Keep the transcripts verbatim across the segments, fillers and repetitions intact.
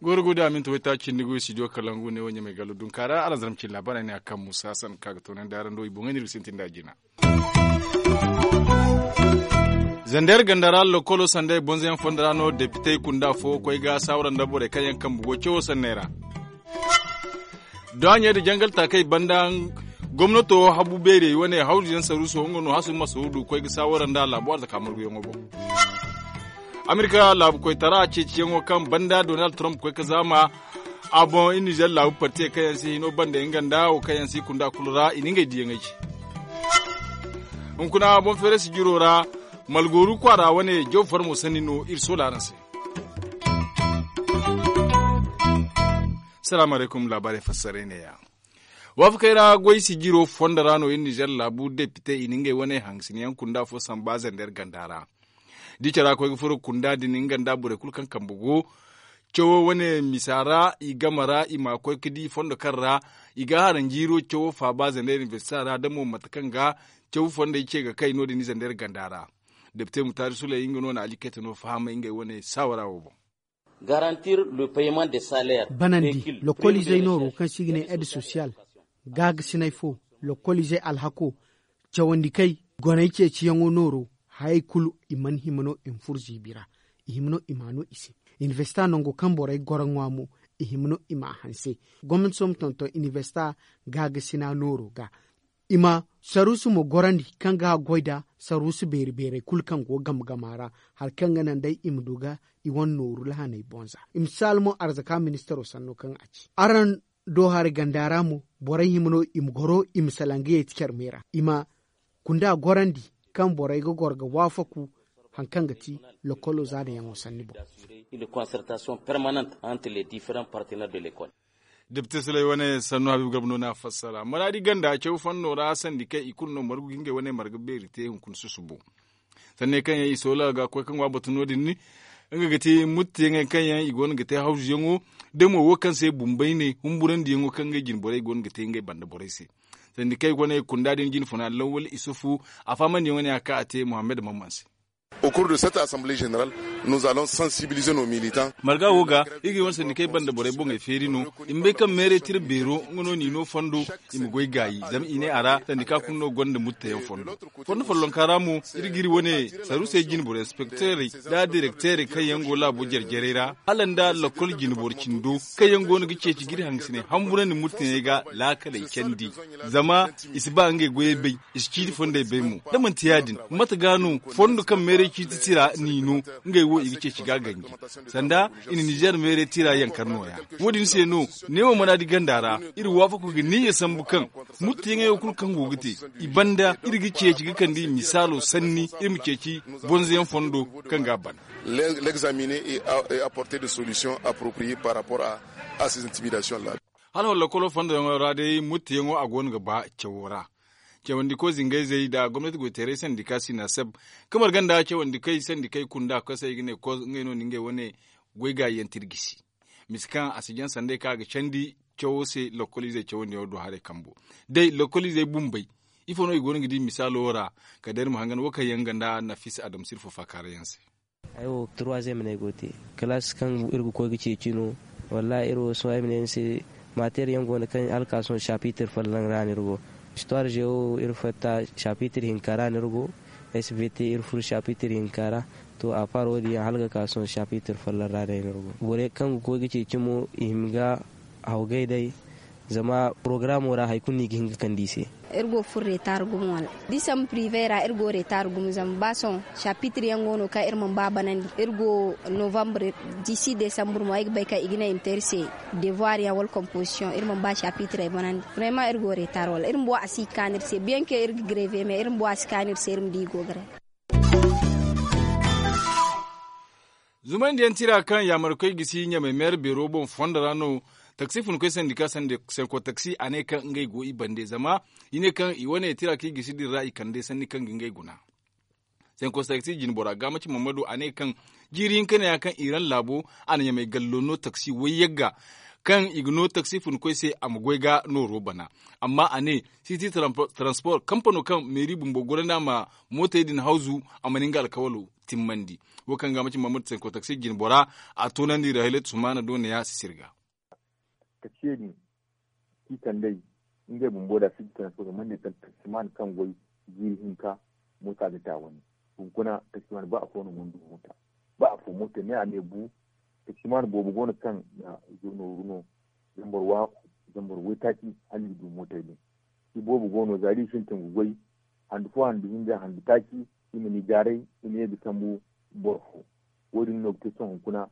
Goro go da aminta waytaaci cindi go i studio kalangu ne wo ɲamay gallo dunkaara aranzaram cin laabaarey ne a kaŋ musa sanka ga toonandi araŋ do i boŋey no iri ga sintin da jina. Zander ganda ra lokolo sanday bonzoyaŋ fondo ra no depitey kunda fo koy ga saawara nda borey kaŋ yaŋ kambe go cawo sanney ra. Daaɲey da jangal taakey banda gomnato habu beerey wane hawzuyaŋ saruuso nga no hasu masuudu koy ga saawara nda laabo arzaka marguyaŋo boŋ. Amerika laabu koytara ceeciyaŋo kaŋ banda donald trump koy ga zaama a boŋ i nizer laabu partiyey kaŋ yaŋ si hino banda nga nda wo kaŋ yaŋ si kunda kulu ra i na ngey diyaŋey ci. Hunkuna boŋ feerasi jiro ra malgooru kwaara wane jaw farmo sanni no iri soola araŋ se. Salaamu alaykum laabaarey fassaray neeya. Waafakey ra goy sijiro fondo ra no iri nizer laabu depite i na ngey wane hangasiniyaŋ kunda fo samba zander ganda ra. Da i cara koy ga furo kunda din nga nda borey kulu kaŋ kambe go cawo wane misa ra i game ra i ma koy ga di fondo kaŋ ra i ga haranjiiro cawo faaba zander inibersita ra da mo mate kaŋ ga cawo fondey ce ga kay no- din zander ganda ra. Depite mutaari suley nga no na alikayte no fahamay ngey wane saawara wo boŋ. Banandi lokoliizey nooro kaŋ se i ga ne aide sosiyal gaagasinay fo lokoliizey alhako cawandi kay goney ceeciyaŋo nooro. Hayey kulu i mana hima no i ma furo ziibi ra. I hima no i ma a no i se. Inibersita nango kaŋ borey goro ŋwa mo i hima no i ma a hanse. Gomnati sohõ ma tonton inibersita gaagasina nooro ga i ma saruusu ma gorandi kaŋ ga a goy nda saruusu beeri beerey kulu kaŋ go game game a ra. Hari kaŋ ga naŋ day i ma du ga i wane nooru lahaney boŋ za i ma si almo arzaka ministaro sanno kaŋ a ci araŋ do hari ganda ra mo. Borey hima no i ma goro i ma salaŋ ga yeeti care me ra i ma kunda gorandi kaŋ borey ga goro ga waafaku hari kaŋ ga ti lokolo zaadayaŋo sanni boŋ. Depite suley wane sannu habiibu garba no na a fassara maraadi ganda caw fanno ra sandi kaŋ i kulu no margu ga ngey wane marga beeri te hunkuna susubo. Sanney kaŋ yaŋ i soola ga koy ga ŋwa batu no- din nga ga te muttiyaŋey kaŋ yaŋ i go no ga te hawzuyaŋo da mo wo kaŋ se bumbay ne humburandiyaŋo kaŋ ngey jine borey go no ga te ngey banda borey se. Sandi kaŋ i go no i kunda din jine funa lawwal isufu a fahamandiyaŋo ne a ka a te muhammad mamman se. Au cours de cette assemblée générale nous allons sensibiliser nos militants. Marga wo ga iri ga i wane sandikey banda borey boŋey feeri no. I ma bay kaŋ meeray tira beero nga no n'i no fondo i ma goy gaayi zama i ne a ra sandika kulu no gonda muttayaŋ fondo. Fondo follonka ra mo iri ga iri wane saruusey jine boro inspekteerey nda direkteerey kaŋ yaŋ go laabo jare-jarey ra hala nda lakkol jine boro cindo kaŋ yaŋ go no ga ceeci ga iri hangasiney hamburandi muttayaŋey ga laakaley candi. Zama i si ba ngey goyey bay i si ciiti fondey bay mo. Da manti ya- din mate ga no fondo kaŋ meeray ciiti tira n'i no ngey wo i ga ceeci ga ganji. Sanda i na nizer meeray tira yankar no- ya. Wo- din se no neewo mana di ganda ra iri waafaku ga niyya sambu kaŋ muttiyaŋey wo kulu kaŋ go ga te i banda iri ga ceeci ga kande i misaalo sanni iri ma ceeci bonzoyaŋ fondo kaŋ ga a ban. L'examiner et apporter des solutions appropriées par rapport à ces intimidations là. Hala wala lakkolo fondo yaŋo ra day muttiyaŋo a go no ga ba cawo ra. Cawandi ko zingayzey nda gomnati goyteeray sandika sinaseb kamar ganda cawandi kay sandikey kunda kosay ga ne ko ngey no na ngey wane goy gaayi yaŋ tirgisi. Misa kaŋ a si jaŋ sanday kaŋ a ga candi cawo se lakkoliizey cawandiyaŋo do haray kambo. Day lakkoliizey bumbey ifo no i go no ga di misaalo wo ra? Kala day iri ma hangan wo kaŋ yaŋ ga nda nafisa adama sirfo faakaara yaŋ se. Ay wo turwaziyem no ay go ga te. Kalaas kaŋ iri ga koy ga ceeci no. Wallaahi iri wo sohõ ay ma ne ni se, maateer yaŋ go no kaŋ hala ka sohõ sapiitir folloŋ ra no iri go. Istuwaar zewo iri fatta sapiitir hinka ra no iri go. Svt iri furo sapiitir hinka ra. To a paar wo- din yaŋ hala ga ka sohõ sapiitir folloŋ ra day no iri go. Borey kaŋ ga koy ga ceeci mo i hima ga hawgay day. Zama porogaramo ra hari kulu no i ga hin ga kande i se. Iri go ga furo reetaar gumo wala da i sambu pirive ra iri go reetaar gumo zama ba sohõ sapiitir yaŋ go no kaŋ iri mana ba banandi iri go novambre. Disi desambur mo ay ga bay kaŋ i ga ne i ma te iri se devoir yaŋ wala komposisiyoŋ iri mana ba sapiitirey banandi. Vrema iri go reetaar wala iri bumbo a si ga kaanu iri se biyanke iri ga greve me iri bumbo a si kaanu iri se iri ma di i go ga re. Zumandiyaŋ tira kaŋ yaamarkoy gisi ɲamay meera beero boŋ fondo ra no. Taksi funkoy sandika sanko taksi a ne kaŋ ngey go i bande zama i ne kaŋ i wane tira kaŋ i gisi din ra i kande sanni kaŋ ga ngey guna. Sanko taksi jinbora gaamaci mamadu a ne kaŋ jiiri hinka ne ya kaŋ iran laabo a na ɲamay gallo no taksi wayyagga. kaŋ i ga no taksi funkoy se a ma goy ga nooro bana. Amma a ne siti transport kampano kaŋ meeri bumbo gorandi a ma mootey din hawzu, a mana nga alkawalo timmandi. Wo kaŋ ga maci mamadu sanko taksi jinbora, a toonandi ra haylatu sumaana do neeya si sirga. Taksiye din, si kandey ngey bumbo da si ga taŋ se ga mande taksimaana kaŋ goy jiiri hinka, moota ga ta wane. Hunkuna taksimaana ba afo no mana du moota. Ba afo moota ne a ne bu. Taksimaana boobo go no kaŋ na nooru no zambar waaku, zambar waytaaci hala i ga du mootey din. I boobo go no za da i sintin ga goy handu fo handu hinza handu taaci, i ma ni gaaray, i ma ye ga sambu boro fo. Wo- din no ga te sohõ hunkuna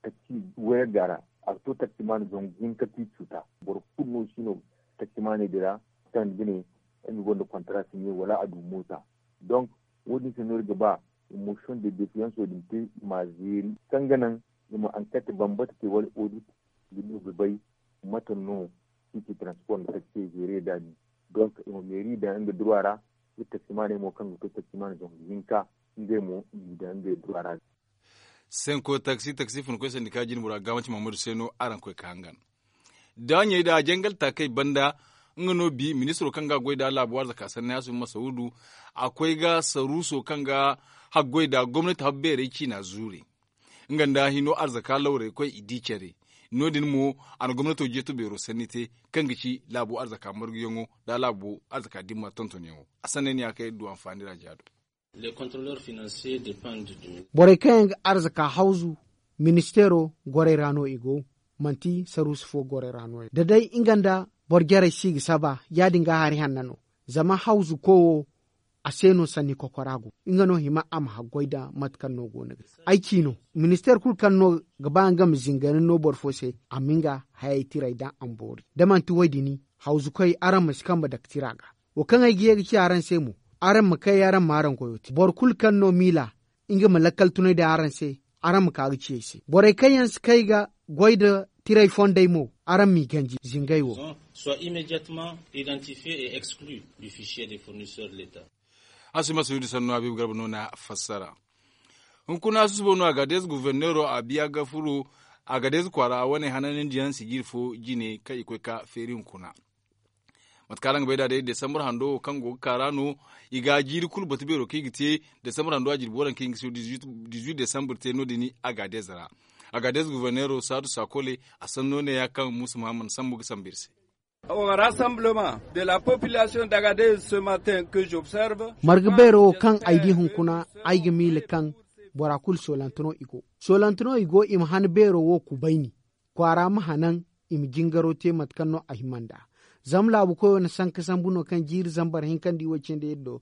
taksi wayar ga ra. A ga to taksimaana zangu hinka ti cuuta. Boro kulu no si no taksimaaney din ra, kaŋ ga ne nga gonda kontara si ne wala a du moota. Donk, wo- din se no iri ga ba motion de defiyanso din te i m'a zeeri kaŋ ga naŋ i ma ankati bambata te wala odit ga du ga bay mate no siti transport nda taksiye zeere nd'a din. Donk i ma meeri daŋ nga duruwa ra. Iri taksimaaney mo kaŋ ga to taksimaana zangu hinka, ngey mo i m'i daŋ ngey duruwa ra. Senko taksi taksi funkoy sandika jinbora ga manti mamadu se no araŋ koy ka hangan. Da ɲey da jangal taakey banda, nga no bi ministiro kaŋ ga goy da laabu arzaka sanni hasu masawudu, a koy ga saruuso kaŋ ga haggoy da gomnati habbeerey ciina zuure. Nga nda hino arzaka lawrey koy i di care. No- din mo, a na gomnato jeeto beero sanni te, kaŋ ga ci laabu arzaka marguyaŋo nda laabu arzaka dimma tontonyaŋo. A sanney no ya kaŋ iri du anfaani ra jaado. Borey kaŋ yaŋ ga arzaka hawzu, ministeero gorey ra no i go. Manti saruusu fo gorey ra no- ya da day nga nda boro jarey si ga saba, ya- din ga hari hanna no. Zama hawzu ko wo, a se no sanni kokora go. Nga no hima a ma haggoy nda mate kaŋ no go no ga ay ci no. Ministeer kulu kaŋ no ga ba nga ma zingari no boro fo se, a ma nga hayey tiray daŋ a ma boori. Da manti wo- din, hawzukoy araŋ ma si kambe dake tira ga. Wo kaŋ ay ga ye ga ci araŋ se mo, araŋ ma kay araŋ ma araŋ goyo te boro kulu kaŋ no miila, nga ma lakkal tunay daŋ araŋ se, araŋ ma ka ga ci ay se. Borey kaŋ yaŋ si kay ga goy nda tiray fondey mo, araŋ m'i ganji zingay wo. Soit immédiatement identifié et exclu du fichier des fournisseurs de l'état. Asuma suudi sannu habiibu garba no na fassara. Hunkuna susubo no a ga deeza guverneero a biya ga furo. A ga deeza kwaara wane hananandiyaŋ sijiri fo jine kaŋ i koy ka feeri hunkuna. Mate kaŋ araŋ ga bay nd'a day desambar hando wo kaŋ go ga kaara no. I ga jiiri kulu batu beero kaŋ i ga te desambar hando a jirbi waranka hinka se dizuit desambar te no- din. A ga deeza ra. A ga deeza guverneero saadu sakole. A sanno ne ya kaŋ muusa muhammad sambu ga sambu iri se. Au rassemblement de la population d'Agadez ce matin que j'observe. Marga beero wo kaŋ ay di hunkuna, ay ga miila kaŋ bora kulu soolante no i go. Soolante no i go i ma han beero wo kubayni. Kwaara ma hanan, i ma jingaro te mate kaŋ no a hima nd'a. Zama laabu koyo na sanka sambu no kaŋ jiiri zambar hinka nda i way cindi iri do.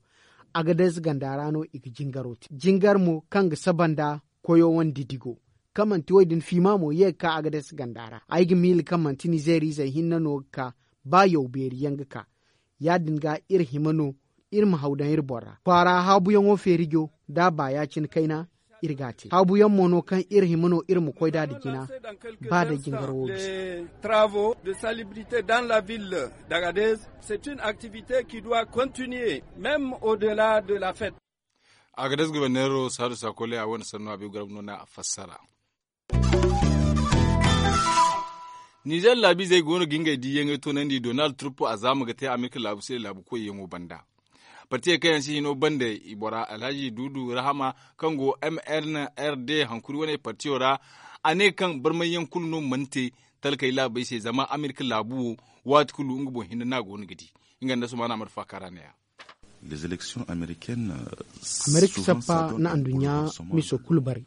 Agadez ganda ra no i ga jingaro te jingar mo kaŋ ga saba nda koyo wane didigo. Kaŋ manti wo- din fiima mo ye ga ka agadez ganda ra ay ga miila kaŋ manti nizeer izey hinne no ga ka. Ba yaw beeri yaŋ ga ka. Ya- din ga iri hima no iri ma haw daŋ iri boŋ ra kwaara haabuyaŋo feerijo da a ba ya- cine kayna. Iri ga a te haabuyaŋ mo no kaŋ iri hima no iri ma koy nd'a nda jina. Ba day jingaro wo bisa. Travaux de salubrité dans la ville d'Agadez. C'est une activité qui doit continuer même au delà de la fête. Agadez guberneero saadu sakole a wane sanno a bay garab no na a fassara. Nizer laabiizey go no ga ngey diiyaŋey toonandi donald trump a zaama ga te amerika laabu se laabu koyyaŋo banda. Partiyey kaŋ yaŋ si hino banda i bora alhaji duudu rahama kaŋ go mnrd hankuri wane partiyo ra. A ne kaŋ barmayyaŋ kulu no mana te talkey laabey se zama amerika laabu wo waati kulu nga boŋ hinne no a go no ga di. Nga nda sumaana amadu faakara neeya. Amerika sappa na anduɲɲa miso kulu bare.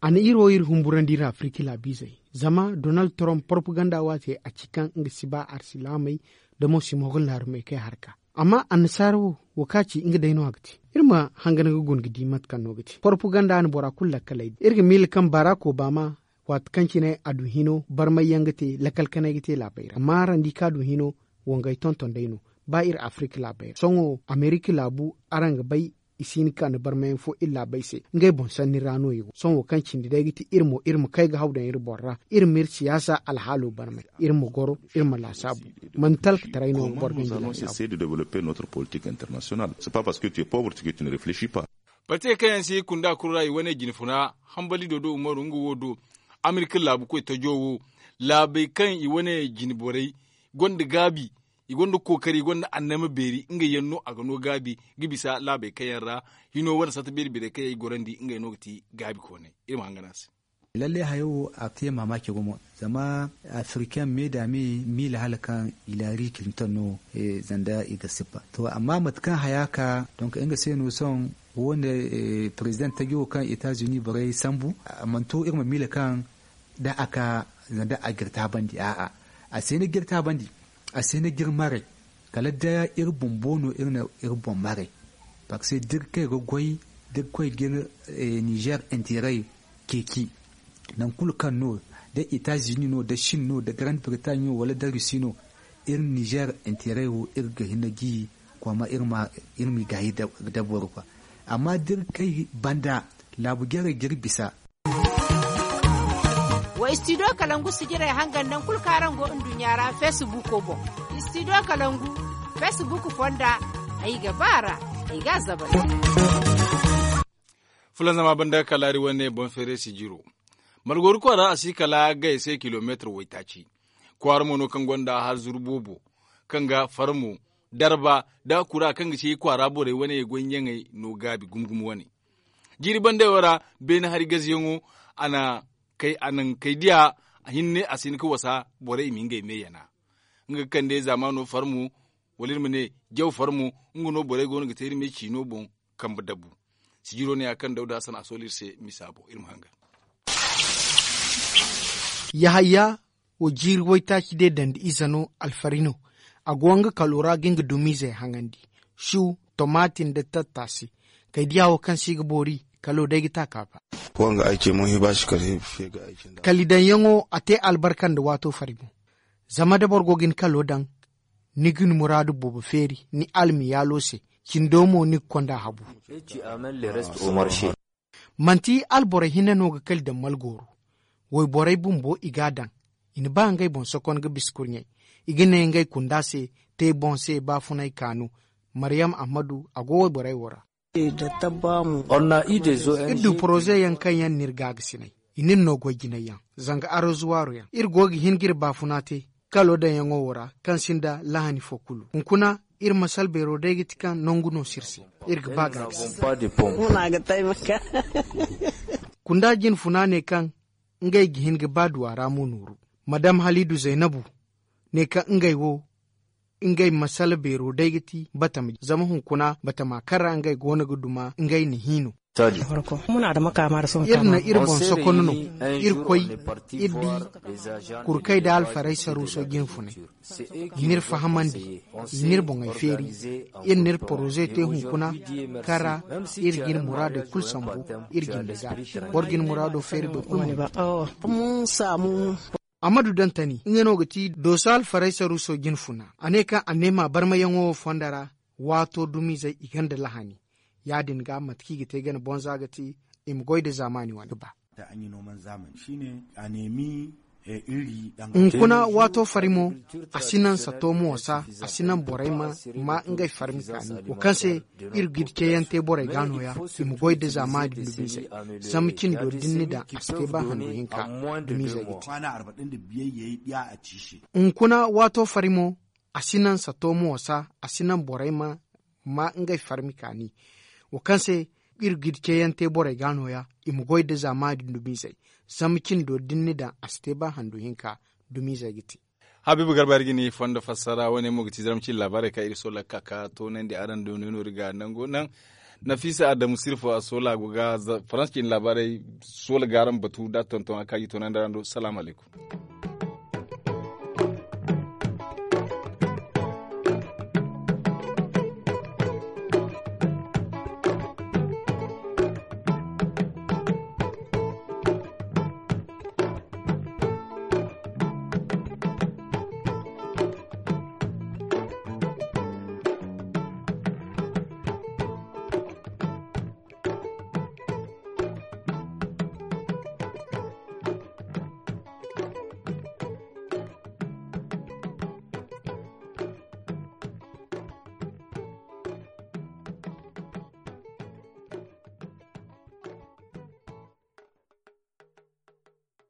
A na iri wo iri humburandi iri afiriki laabiizey zama donald trump propaganda waate a ci kaŋ nga si ba arsilaamey da mo si mo ga laarumey kay harka. Amma annasaara wo wo kaŋ a ci nga day no a ga te. Iri ma hangan ga guna ga di mate kaŋ no ga te propaganda na bora kulu lakkaley di iri ga miila kaŋ barak obama waati kaŋ cine a du hino barmayyaŋ ga te lakkal kanay ga te laabey ra amma araŋ di kaŋ a du hino wangay tonton day no. Ba iri afirika laabey ra sohõ amerika laabu araŋ ga bay i si hin ka na barmayaŋ fo iri laabey se ngey boŋ sanni ra no i go sohõ wo kaŋ cindi day ga ti iri mo iri ma kay ga haw daŋ iri boŋ ra. Iri ma iri siyaasa alhaalo barmay iri ma goro iri ma laasaabu. Manti talkataray no boro ga nga laasaabu. Partey kaŋ yaŋ si kunda kulu ra i wane jine funa hambali dodo umaru nga wo do amerika laabu koy tajo wo. laabey kaŋ i wane jine borey gonda gaabi, i gonda kookari i gonda annama beeri ngey yaŋ no a ga no gaabi ga bisa laabey kaŋ yaŋ ra hino wane sata beeri beerey kaŋ yaŋ i gorandi ngey no ga ti gaabi kooney. Iri ma hangan a se. Lallay hayo wo a te maamaaci gumo, zama afirken me da me miila hala kaŋ hilaari kilinton no. Zanda i ga sippa to amma mate kaŋ haya ka donk nga se no sohõ wo ne, perezidaŋ taji wo kaŋ etazuni borey sambu a mana to iri ma miila kaŋ da a ka zanda a ga iri taabandi a'a. A si hin ga iri taabandi, a si hin ga iri maray. Kala da iri bumbo no iri na iri boŋ maray. Park se da iri kay ga goy da iri koy ga iri nizer interay ceeci, nangu kulu kaŋ no da etazuni no da chin no da garande bretagne no wala da rusi no, iri nizer interay wo iri ga hin ga gi. Kooma iri m'i gaayi da boro fa. Amma da iri kay banda laabu jarey ga iri bisa. Wa istidiyo kalangu sijirey hangan nangu kulu kaŋ araŋ go nduɲɲa ra feesibuuko boŋ. Istidiyo kalangu feesibuuko fonda. Ay ga ba a ra. Ay ga a zabay. Fulanzama banda kalaari wane boŋ feeray sijiro. Malgooru kwaara a si kala gay se kilomeetir waytaaci. Kwaara mo no kaŋ gonda harzuru boobo kaŋ ga farmo darba nda kura kaŋ ga ci kwaara borey wane goy ɲaŋey no gaabi gumo gumo wane. Jiiri bandey wo ra beene hari gaziyaŋo a na kay diya hinne a si hin ga wasa borey i ma ngey me yana. Nga ga kande zaamaano farmo wala iri ma ne jaw farmo. Nga no borey go no ga te iri me ciino boŋ kambe dabu. Sijiro ne ya kaŋ dawda hasan a soolu iri se misa boŋ iri ma hangan. Yahaya wo jiiri waytaaci day dandi ize no alfari no. A go nga kalo ra ga nga dumiizey haŋandi, su, tomati nda tattaasi. Kay diya wo kaŋ se i ga boori kalo day ga ta ka ba. Kali daŋyaŋo a te albarka nda waato fari boŋ. Zama da boro go ga ni kalo daŋ, ni ga ni muraadu boobo feeri ni almiyaalo se. Cindo mo ni ga konda habu. Manti alborey hinne no ga kali daŋ malgooro. Wayborey bumbo i ga a daŋ. I na ba ngey boŋ sokon ga bisa kurɲey. I ga ne ngey kunda se te boŋ se baafunay kaanu. Mariyam ahmadu a go wayborey wo ra. Iri du poroze yaŋ kaŋ yaŋ n'iri gaagasinay. I n'iri no goy jinay yaŋ zanga arozuwaaro yaŋ iri go ga hin ga iri baafuna te. Kalo daŋyaŋo wo ra kaŋ sinda lahani fo kulu hunkuna. Iri masal beero day ga ti kaŋ nangu no se iri se. Iri ga ba gaagasi. Kunda jinfuna ne kaŋ ngey ga hin ga ba duwa ra mo nooru. Madam haliidu zaynabu ne kaŋ ngey wo ngey masala beero day ga ti batama zama hunkuna batama kaŋ ra ngey go no ga duma ngey na hi no. Iri na iri boŋ sokono no. Iri koy iri di kurkay da alfaraysa ruuso jinfunay. I n'iri fahamandi, i n'iri boŋey feeri. Iri n'iri poroze te hunkuna kaŋ ra iri ga iri muraadey kulu sambu. Iri jinde ga boro ga ni muraado feeri boro kulu. Amadu dantani nga no ga ti dooso alfaraysa ruuso jinfuna a ne kaŋ a neema barmayaŋo wo fondo ra. Waato dumizey i gonda lahani. Ya- din ga mate kaŋ i ga te gana bonza ga ti i ma goy nda zaamaani wane ga ba. Hunkuna waato fari mo a si naŋ sato mo wasa. A si naŋ borey ma maa ngey farmi kaani wo kaŋ se iri ga iri ceeyaŋ te borey ga nooya. I ma goy nda zaamaani dumizey zama cindo da ni na daŋ a si te ba handu hinka. Dumizey ga te hunkuna waato fari mo a si naŋ sato mo wasa. A si naŋ borey ma maa ngey farmi kaani wo kaŋ se iri ga iri ceeyaŋ te borey ga nooya. I ma goy nda zaamaani dumizey zama cindo da ni na daŋ a si te ba handu hinka. Dumizey ga te. Habiibu garba iri ga ni fondo fassara wane mo ga ti zaramci laabaarey kaŋ iri soola ga ka ga toonandi araŋ do no iri ga nango naŋ. Nafiisa adamu sirfo a soola go ga faransi cine laabaarey soola ga araŋ batu da tonton a kaŋ a ga i toonandi araŋ do salaamu alaykum.